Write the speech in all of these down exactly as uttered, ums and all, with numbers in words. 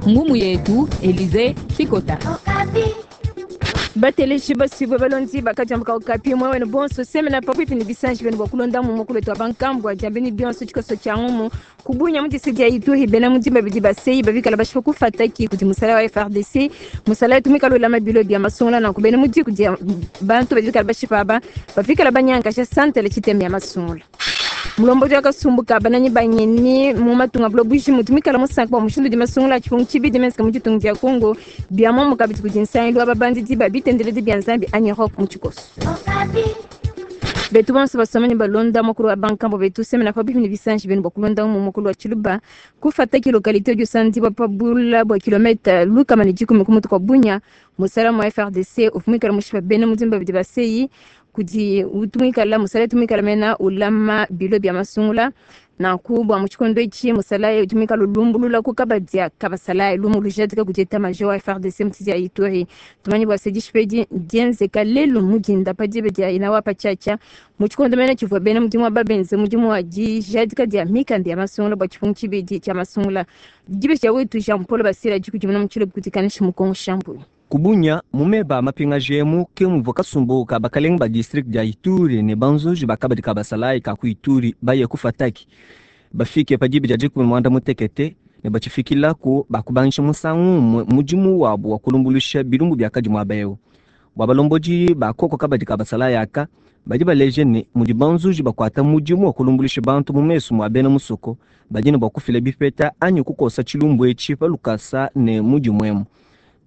Ngumu yetu Elize Chikota. Bateleji basibwe balonzi bakajambuka Okapi mwewene bonso semena pabuipi ni bisanji benu bwakulonda mu mukulu wetu wa bankambwa jambeni bionso tshikoso tshia ngumu kubunya mu district ya Ituri bena mudimba bidi baseyi babikala bashipa kufataki kudi musala wa F R D C musala tumika lulama bilo bia masungula na kubena mudi kudi bantu babikala bashipa aba bafikala banyankasha santele tshitembe ya masungula. Mulombodi wakasumbuka bananyi banyeni mu matunga bulo bujimu tumikala musanka bwa mushindu di masungula tshipungu tshibidi mensika mu ditunga dia Kongo bia momo kabidi kudi nsangilu wa babandidi ba bitendeledi bia Nzambi anyi rock mu tshikoso. Betu bonso basomani balonda mukulu wa bankambo betu semena pabuipi ne bisanji benu bwa mu mukulu wa Tshiluba kufataki localité udi usandibwa pa bula bwa kilomètre lukama ne dikumi ku mutu kwa Bunya musala mu F R D C ufumikala mushipa bena mudimba bidi baseyi kudi utumikala musala tumikala mena ulama bilo bia masungula nanku bua mu tshikondo etshi musala utumikala ulumbulula ku kabadia kabasala lumu lujadika kudi état-major wa F R D C mutidi ya Ituri. Tumanyi bua se dishipedi dienzeka lelu mudinda pa diba dia inawa pa tshiatshia mu tshikondo mene tshivua bena mudimu wa babenze mudimu wa dijadika dia mikanda ya masungula bua tshipungu tshibidi tshia masungula. Dibe dia wetu Jean Paul Basila dikudimuna mu tshilobo kudi Kanishi Mukongo Shambui. Kubunya mumeba mapingaji emu ke muvua kasumbu ka bakalenga ba district dia Ituri ne banzuji bakabadi ka basalayi ka ku Ituri baye kufataki bafike pa diba dia dikumi mwanda mutekete ne batshifikilaku bakubangisha musangu umue mudimu wabu wa kulumbuluisha bilumbu biakadi muaba eu. Bua balombodi bakoko kabadi ka basalayi aka badi baleje ne mudi banzuji bakuata mudimu wa kulumbuluisha bantu mu mesu mua bena musoko badi ne bua kufila bipeta anyi kukosa tshilumbu etshi pa lukasa ne mudimu emu.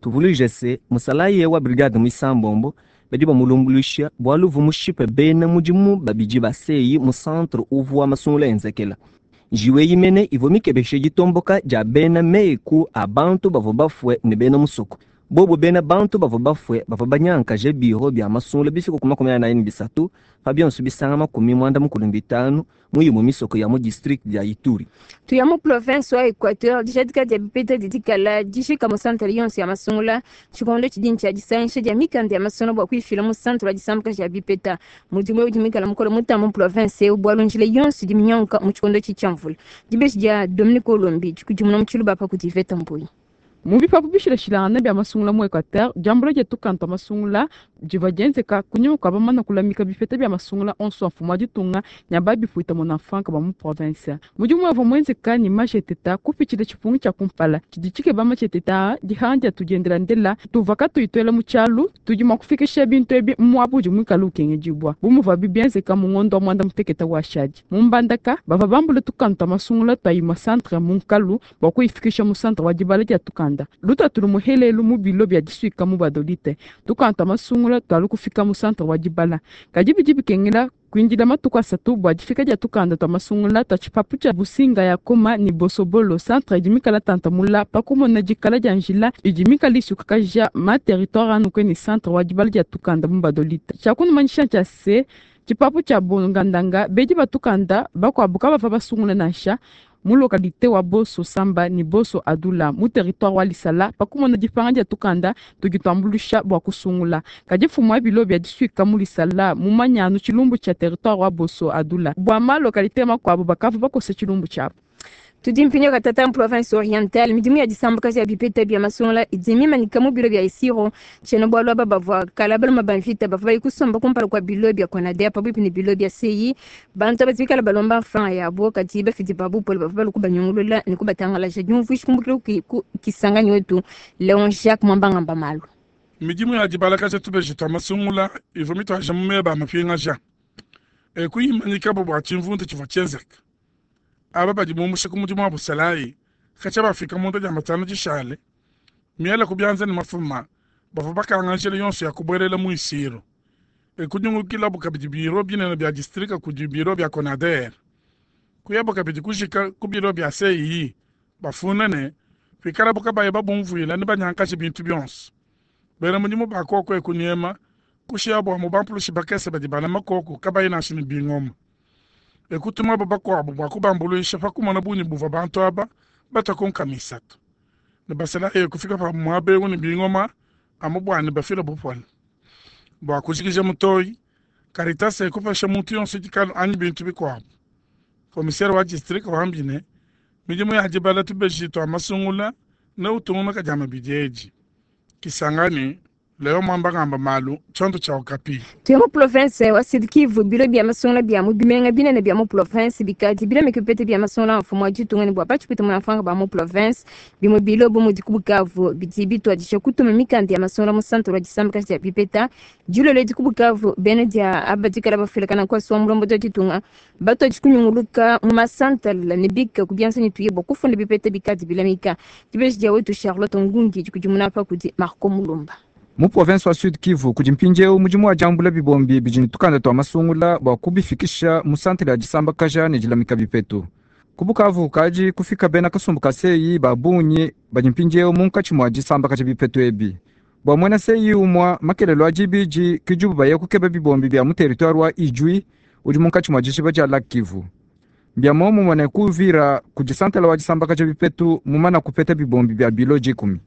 Tuvuluije se musalayi wa brigade muisambombo badi bamulumbuluisha bualu uvua mushipe bena mudimu babidi baseyi mu centre uvua masungula enzekela. Njiwu eyi mene ivua mikebeshe ditomboka dia bena meku a bantu bavua bafue ne bena musoko bobo bena bantu bavua bafue bavua banyankaje biro bia masungula bifika ku makumi anayi ne bisatu pa bionso bisanga makumi mwanda mukulu bitanu mu imue misoko ya mu district dia Ituri. Tuya mu province wa Équateur dijadika dia bipeta didikala dishika mu centre yonso ya masungula tshikondo tshidini tshia disangisha dia mikanda ya masungula bua kuifila mu centre wa disambuka dia bipeta. Mudimu eu dimikala mukolo mutamba mu province eu bualu njila yonso diminyonka mu tshikondo tshi tshia mvula. Dibeshi dia Dominique Olombi dikudimuna mu Tshiluba pa kudi Iveta Mbuyi. Mu bipapu bishilashilangana bia masungula mu Equateur diambula dia tukanda masungula divua dienzeka kunyima kua bamana kulamika bipeta bia masungula onso a mfumu wa ditunga nya babipuita mona franka ba mu province. Mudimu wavua muenzeka ni masheteta kupitshila tshipungu tshia kumpala tshidi tshikeba masheteta dihanga dia tudiendela ndela tuva katuyi mu tshialu tudi mua kufikisha bintu ebi muabu udi muikale ukengedibua bu muvuabi bienzeka mu ngondo wa mwanda muteketa wa shadi. Mu Mbandaka bavua bambula tukanda tua masungula tua imue centre mu nkalu bua kuyifikisha mu centre wa dibala dia tukanda lutatu lumuhelelu mu bilo bia disuika mu Gbadolite tukanda tua masungula tualu kufika mu centre wa dibala kadi bidi bikengela kuindila matuku asatu bua difika dia tukanda tua masungula tua tshipapu tshia Businga ya Koma ni Bosobolo centre idi mikala tantamula pa kumona dikala dia njila idi mikala isukakaja ma territoire anuke ni centre wa dibala dia tukanda mu Gbadolite. Tshiakunumanyisha tshia se tshipapu tshia Bongandanga bedi batukanda bakuabu kabava basungula nansha mu localité wa Boso Samba ni Boso Adula mu territoire wa Lisala pakumona dipanga dia tukanda tudi tuambulusha bua kusungula. Kadi mfumu wa bilo bia disuika mu Lisala mu manyanu tshilumbu tshia territoire wa Boso Adula bua ma localité makuabu bakavua bakosa tshilumbu tshiabu. Tudi mpinyo katata mu province orientale midimu ya disambuka ya bipeta bia masungula idi mimanika mu bilo bia Isiro tshiena bualu aba bavua kala baluma ba mvita bavua bayi kusomba kumpala kua bilo bia Konader pabuipi ne bilo bia C E I. Bantu aba bikala balomba franc yabo kadi bafidi ba bupole bavua balu kubanyungulula ne kubatangalaja. Diumvuishi kumbukila ku Kisangani wetu Leon Jacques Mwambangamba malu. Midimu ya dibalakaja tubeji tua masungula ivua mituaja mu meba mapingaja ekuyimanyikabo bua tshimvundu tshivua tshienzeka. Aba badi bumusha ku mudimu wa busalayi katshia bafika munda dia matanu dishale miela ku bianza ne mafuma bavua bakanga njila yonso ya kubuelela mu Isiro ekunyungukilabu kabidi biro binene bia distrika kudi biro bia Konader kuyabo kabidi kujika ku biro bia C I bafuna ne pikalabu kabaye babumvuila ne banyankashe bintu bionso. Bena mudimu bakoko ekunyema kushiyabu amu bampulushi bakese badi bala makoko kabayi nansha ne bingoma ekutumabo bakuabu bua kubambuluisha pa kumona bungi buvua bantu aba batwa misatu ne basalayi kufika pa muaba eu ne bingoma amu bua ne bafila bupole. Bua kujikija mutoyi Caritas ekupesha muntu yonso dikalu anyi bintu bikuabu. Commissaire wa district wambi ne midimu ya dibala tubeji tua masungula Ne utungunuka dia mabidi edi Kisangani leo mwamba ngamba malu tshiondo tshia Okapi. Tuye mu province wa Sud Kivu, bilo bia masungula bia mu bimenga binene bia mu province bikadi bilamika bipete bia masungula mfumu wa ditunga ne bua batshipwita munafanga ba mu province. Bimue bilo bu mudi ku Bukavu bidi bituadija kutuma mikanda ya masungula mu centre wa disambakaja dia bipeta. Dilolo edi ku Bukavu, bena dia aba dikala bafilakana nkuasu wa mulombodi wa ditunga batuadi kunyunguluka mu masantala ne bika ku bianza ne tuye bua kufunda bipeta bikadi bilamika. Dibeji dia wetu Charlotte Ngungi dikudimuna pa kudi Marco Mulumba. Mu province wa Sud Kivu kudi mpindieu mudimu wa diambula bibombi bidi ne tukanda tua masungula bua kubifikisha mu santere ya disambakaja ne dilamika bipetu. Ku Bukavu kadi kufika bena kasumbu ka seyi ba bungi badi mpindieu munkatshi mua disambakaja bipetu ebi. Bua muena seyi umua makelelo a dibidi kidibu baye kukeba bibombi bia mu territoire wa Ijwi udi munkatshi mua dishiba dia Lac Kivu. Bia muomumue ne ku Uvira kudi santela wa disambakaja bipetu mumana kupeta bibombi bia bilo dikumi.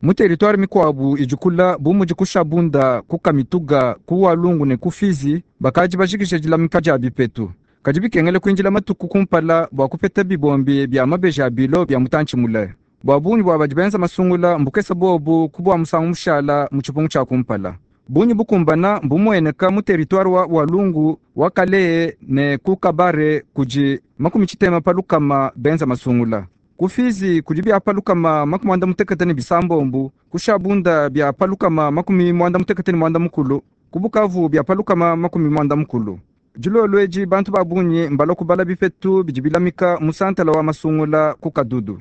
Mu territoire mikuabu idi kula bu mudi ku Shabunda, ku Kamituga, ku Walungu ne ku Fizi bakadi bajikija dilamika dia bipetu. Kadi bikengele kuindila matuku kumpala bua kupeta bibombi bia mabeji a bilo bia mutantshi mule. Bua bungi bua badi benza masungula mbukesa bobu ku bua musangu mushala mu tshipungu tshia kumpala. Bungi bukumbana mbumueneka mu territoire wa Walungu wa Kalehe ne ku Kabare kudi makumi tshitema pa lukama benza masungula. Ku Fizi kudi bia pa lukama makumi muanda mutekete ne bisambombu, ku Shabunda bia pa lukama makumi muanda mutekete ne muanda mukulu, ku Bukavu bia pa lukama makumi muanda mukulu. Dilolo edi bantu ba bungi mbalua kubala bipetu bidi bilamika mu santala wa masungula ku Kadudu.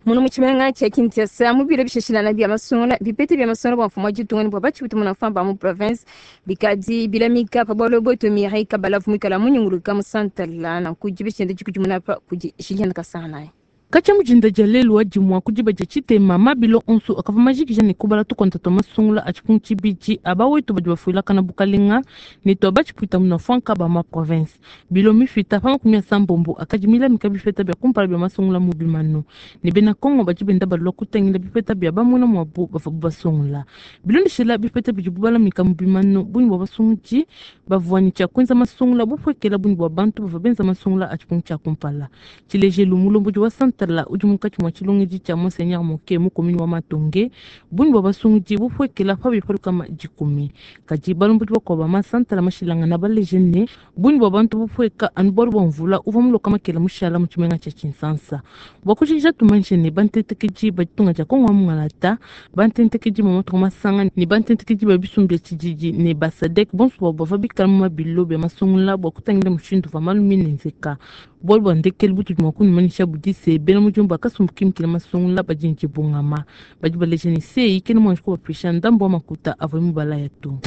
Muno mu tshimenga tshia Kinshasa mu bilo bishashilana bia masungula bipete bia masungula bua mfumu wa ditunga ne bua batshipwita munafamba ba mu province bikadi bilamika pa bualu bwetu Mireille Kabalavu muikala munyunguluka mu santala nanku dibishende dikudimuna pa kudi Julienne Kasana. Katshia mujinda dia lelu wa dimua ku diba dia tshitema mabilo onso akavua majikija ne kubala tukonta tua masungula a tshipungu tshibidi aba wetu badi bafuilakana bukalenga ne tua batshipwita munafuanka ba ma province. Bilo mifita pa makumi asambombo akadi milamika bipeta bia kumpala bia masungula mu bimanu ne bena Kongo badi benda balua kutangila bipeta bia bamuna muabu bavua basungula. Bilondeshela bipeta bidibu balamika mu bimanu bungi bua basungudi bavua ne tshia kuenza masungula bupuekela bungi bua bantu bavua benza masungula a tshipungu tshia kumpala. Tshilejelu mulombodi wa santala udi munkatshi mua tshilongedi tshia Monseigneur Moke mu commune wa Matonge bungi bua basungudi bupuekela pa bipalu kama dikumi. Kadi balombodi bakuabu ba masantala mashilangana baleje ne bungi bua bantu bupueka anu bualu bua mvula uvua muloka makela mushala mu tshimenga tshia Tshinsansa. Bua kujikija tumanyishe ne bantentekedi ba ditunga dia Kongo wa Mungalata, bantentekedi ba matuku masanga ne bantentekedi ba bisumbu bia tshididi ne ba SADC bonso bavua bavua bikala mu mabilo bia masungula bua kutangila mushindu uvua malu minenzeka. Bualu bua ndekelu butudi mua kunumanyisha budi se bena mudimu bakasumbu kimikila masungula badi ne dibungama badi baleja ne sei kena muanji kubapisha ndambu wa makuta avua mubalaya to.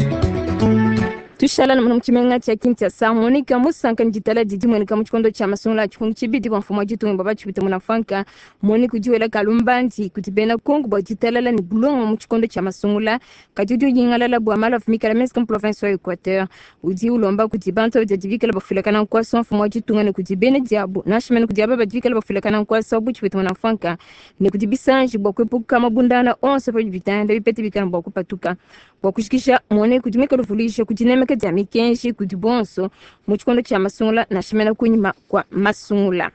Tushala na mu tshimenga tshia Kinshasa Monica Musanka ne ditala didi mueneka mu tshikondo tshia masungula a tshipungu tshibidi bua mfumu wa ditunga bua batshipwita munafuanka. Monica udi wela kalumbandi kudi bena Kongo bua ditalala ne bulongo mu tshikondo tshia masungula kadi udi unyingalala bua malu avua mikala menza mu province wa Equateur. Udi ulomba kudi bantu badi bikala bafulakana nkuasa wa mfumu wa ditunga ne kudi bena diabu nansha mene kudi aba badi bikala bafulakana nkuasa wa butshipwita munafuanka ne kudi bisanji bua kuepuka mabundana onso pa bitanda bipete bikala bua kupatuka. Bua kushikisha Monica udi muikale uvuluisha kudi nemeka dia mikenji kudi bonso mu tshikondo tshia masungula nansha mene kunyima kwa masungula.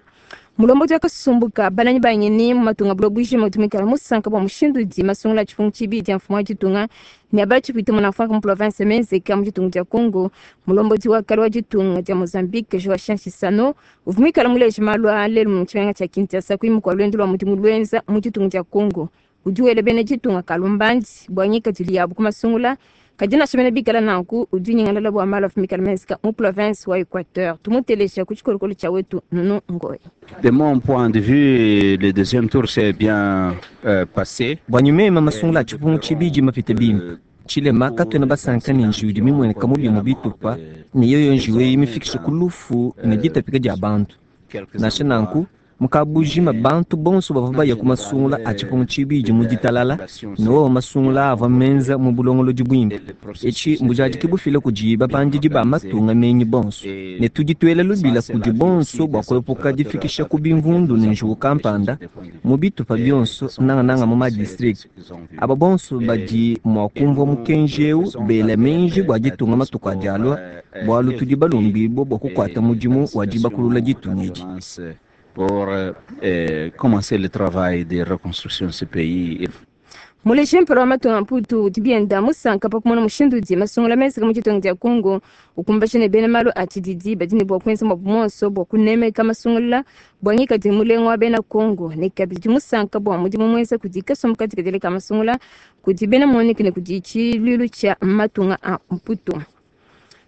Mulombodi wa kasumbuka bananyi banyeni mu matunga bulo bujima udi muikala musanka bua mushindu udi masungula a tshipungu tshibidi dia mfumu wa ditunga ne abatshipwita munafuanka mu province menzeka mu ditunga dia Congo. Mulombodi wa kale wa ditunga dia Mozambique Joachim Chissano uvua muikala muleje malu a lelu mu tshimenga tshia Kinshasa kunyima kua luendu lua mudimu luenza mu ditunga dia Congo. Udi wela bena ditunga kalumbandi bua ngikadilu yabu ku masungula kadi nansha mene bikala nanku udi unyingalala bua malu avua mikala menzeka mu province wa Equateur. Tumuteleja ku tshikolokolo tshia wetu Nunu Ngoyi. De mon point de vue, le deuxième tour s'est bien euh, passé. Bua nyuma masungula a tshipungu tshibidi mapite bimpe. Tshilema katuena basanka ne njiwu idi mimueneka mu bimue bitupa ne yoyo njiwu eyi mifikishe ku lufu ne ditapika dia bantu. Nansha nanku mukabujima bantu bonso bavua baya ku masungula a tshipungu tshibidi mu ditalala ne wowo masungula avua menza mu bulongolodi buimpe. Etshi mbujadiki bufila kudi bapandidi ba matunga menyi bonso ne tudi tuela lubila kudi bonso bua kuepuka difikisha ku bimvundu ne njiwu kampanda mu bitupa bionso nangananga mu madistrict. Aba bonso badi mua kumvua mukenji eu bela menji bua ditunga matuku adi alua bualu tudi balumbibue bua kukuata mudimu wa dibakulula ditunga edi. pour euh, commencer le travail de reconstruction de ce pays. Muleje mpala wa matunga mputu dibienda musanka pakumona mushindu udi masungula menzeka mu ditunga dia Congo ukumbasha ne bena malu a tshididi badi ne bua kuenza muabu muonso bua kunemeka masungula bua ngikadi mulenga wa bena Congo ne kabidi musanka bua mudimu muenza kudi kasumbu katikadile ka masungula kudi bena MONUC ne kudi tshiluilu tshia matunga a mputu.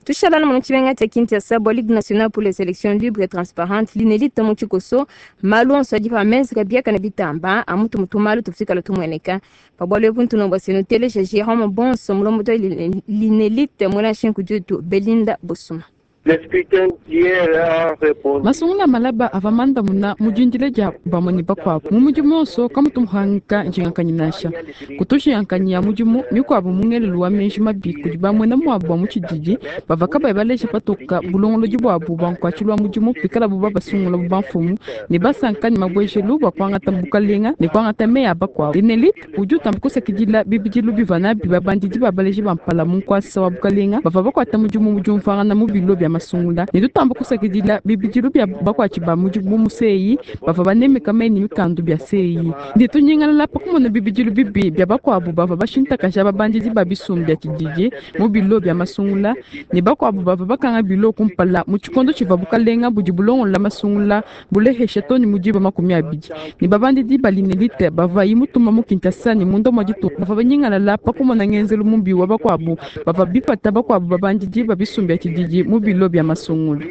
Tushalana mu tshimenga tshia Kinshasa bua Ligue nationale pour les élections libres et transparentes linelita mu tshikoso malu onso adi pa menzeka biakana bitamba amutu mutu malu tufikala tumueneka pabwalo ebu ntunomba seno teleja Jérôme Bonso mulomboto linelite mwela nshingu dietu Belinda Bosuma. Masungula malaba ava mandamuna mudindile dia bamwe bakuabu mu mudimu onso kamutu muhangika njingakanyi nansha kutushiyankanyi ya mudimu mikuabu mungelelu wa menji mabi kudi bamwe na muabu bua mutshididi bava kabayi baleja patoka bulongolodi buabu bua nkuatshilua mudimu pikala bu babasungula bu bamfumu ne basanka ne mabwejelu bua kuangata bukalenga ne kuangata meya bakuabu. Linelit udi utamba kusakidila bibidilu biva nabi babandidi babaleji bampala mu nkuasa wa bukalenga bava bakuata mudimu mudiumvangana mu bilo bia masungula ne tutamba kusakidila bibidilu bia bakuatshi ba mudimu museyi bava banemeka meni mikandu bia seyi ne tunyingalala pakumona bibidilu bibi bia bakuabu bava bashintakaja babandidi ba bisumbu bia tshididi mu bilo bia masungula ne bakuabu bava bakanga bilo kumpala mu tshikondo tshiva bukalenga budi bulongola masungula bulehesha toni mudiba makumi abidi ne babandidi balinelite bava imutuma mu Kinshasa ne munda mwa ditunga bava banyingalala pakumona ngenzelu mubi wa bakuabu bava bipata bakuabu babandidi ba bisumbu bia tshididi mu bilo bia masungula.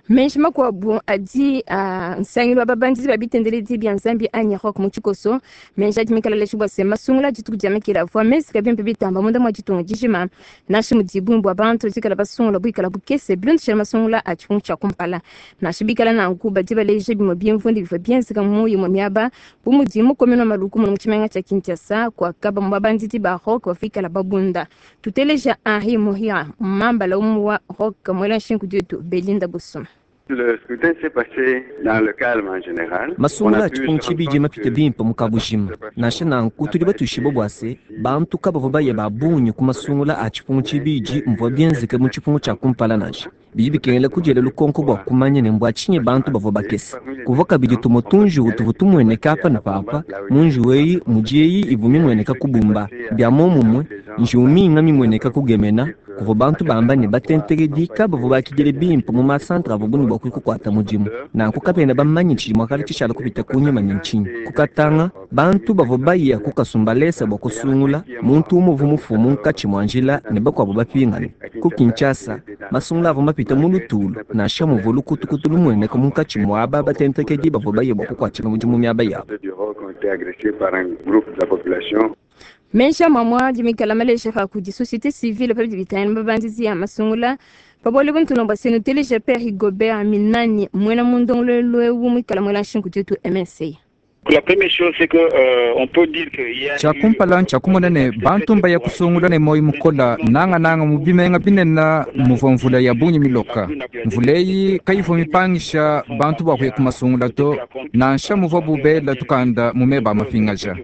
Menji makuabu adi uh, nsangilu wa babandidi babitendeledi bia nzambi anyi rock mu tshikoso menji adi mikala bua se masungula dituku dia mekela vua mezika bimpe bitamba munda mwa ditunga dijima nansha mudi bua bantu dikala basungula buikala bukese bilondeshela masungula a tshipungu tshia kumpala nansha bikala nanku badi baleja bimue bimvundi bivua bienzeka mu imue miaba bu mudi mukomeno wa maluku muno mu tshimenga tshia Kinshasa kuakaba mu babandidi ba rock bafikala babunda. Tuteleja Henri Mohira mambala umu wa rock mwela nshingu dietu Belinda Bosuma. Le scrutin s'est passé dans le calme en général. Masungula tshipungu tshibidi mapite bimpe mu kabujima nansha nanku tudi batushiba bua se bantu kabavua baye ba bungi ku masungula a tshipungu tshibidi mvua bienzeke mu tshipungu tshia kumpala nansha bidi bikengela kudiela lukonko bua kumanya ne mbua tshinyi bantu bavua bakese kuvua kabidi tumue tunjiwu tuvua tumueneka apa ne papa mu njiwu eyi mudi eyi ivua mimueneka kubumba bia momumue njiwu minga mimueneka kugemena kuvua bantu bamba ne batentekedi kabavua bakidile bimpe mu masantre avua buni bua kukuata mudimu nanku kapena bamanye tshidi muakala tshishala kupita kunyima ne ntshinyi kukatanga bantu bavua baya kukasumbalesa bua kusungula muntu umue uvua mufumu munkatshi mua njila ne bakuabu bapingane ku Kinshasa masungula avua mapita mu lutulu nansha muvua lukutukutu lumueneka munkatshi mua aba batentekedi bavua baya bua kukuatshila mudimu miaba yabu. Menja mamwa dimikala maleja pa kudi société civile pa bitani babandidi ya masungula pabole buntunomba seno teleja Père Rigobert Minani mwena mundongolelo ewu mwikala mwela nshingu dietu M N C. La première chose, c'est que euh, on peut dire que y a Tshia kumpala ntshiakumona ne bantu mbaya kusungula ne moyi mukola nanga nanga mu bimenga binena muvua mvula ya bungi miloka mvula eyi kayivua mipangisha bantu bua kuya kumasungula to nansha muvua bubela tukanda mu meba mapingaja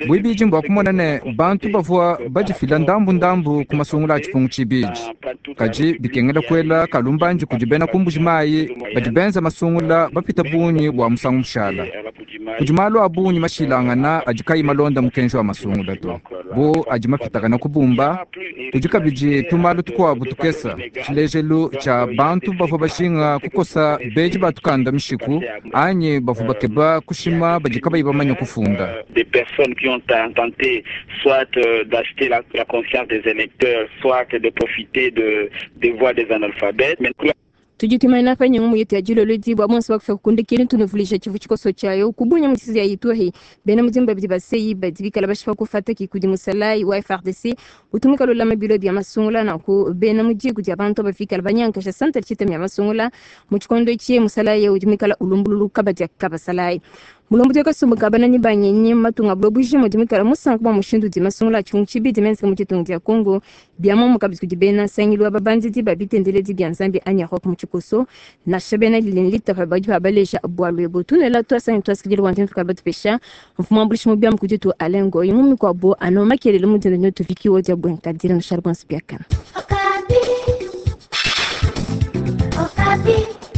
bwibidi mbua kumona ne bantu bavua badifila ndambu ndambu ku masungula a tshipungu tshibidi kadi bikengela kuela kalumbandi kudi bena kumbuji mayi badi benza masungula bapita bungi bua musangu mushala kudi malu a bungi mashilangana adi kayi malonda mukenji wa masungula to bu adi mapitakana kubumba kudi kabidi tumalu tukuabu tukesa tshilejelu tshia bantu bavua bashinga kukosa beji batukanda mishiku anyi bavua bakeba kushima badi kabayi bamanya kufunda. Des personnes qui ont tenté soit d'acheter la, la conscience des électeurs, soit de profiter de, des voix des analphabètes. Mais tudi tumaina pa nyungu yetu ya jilolo dibwa bonso bakufa kukundikile tunuvulisha tshivu tshikoso tshiayo kubunya mutisi ya Ituri bena mudimba bidi baseyi badi bikala bashipa kufata kikudi musalai wa F R D C utumika lolama bilo bya masungula na ku bena mujiku dia bantu bafikala banyankasha santa tshita mya masungula mu tshikondo tshie musalai udimikala ulumbululu kabadia kabasalai mulombo teka sumbuka banani banyenye matunga bulobuji mudimikala musanka bwa mushindu di masungula tshungu tshibidi menzeka mu tshitungu dia Congo bia momo kabidi kudi bena nsangilu wa babandidi babitendeledi bia nzambi anya rock mu tshikoso nasha bena lilini litapa badi babaleja bwalu ebo tunela twasangi twasikidile wantu tukala batupesha mfumu ambulishi mu bia mukudi tu alengo imumi kwa bo ano makelele mudinda nyotu vikiwo dia bwenkadira no shargonsi biakana. Okapi. Okapi.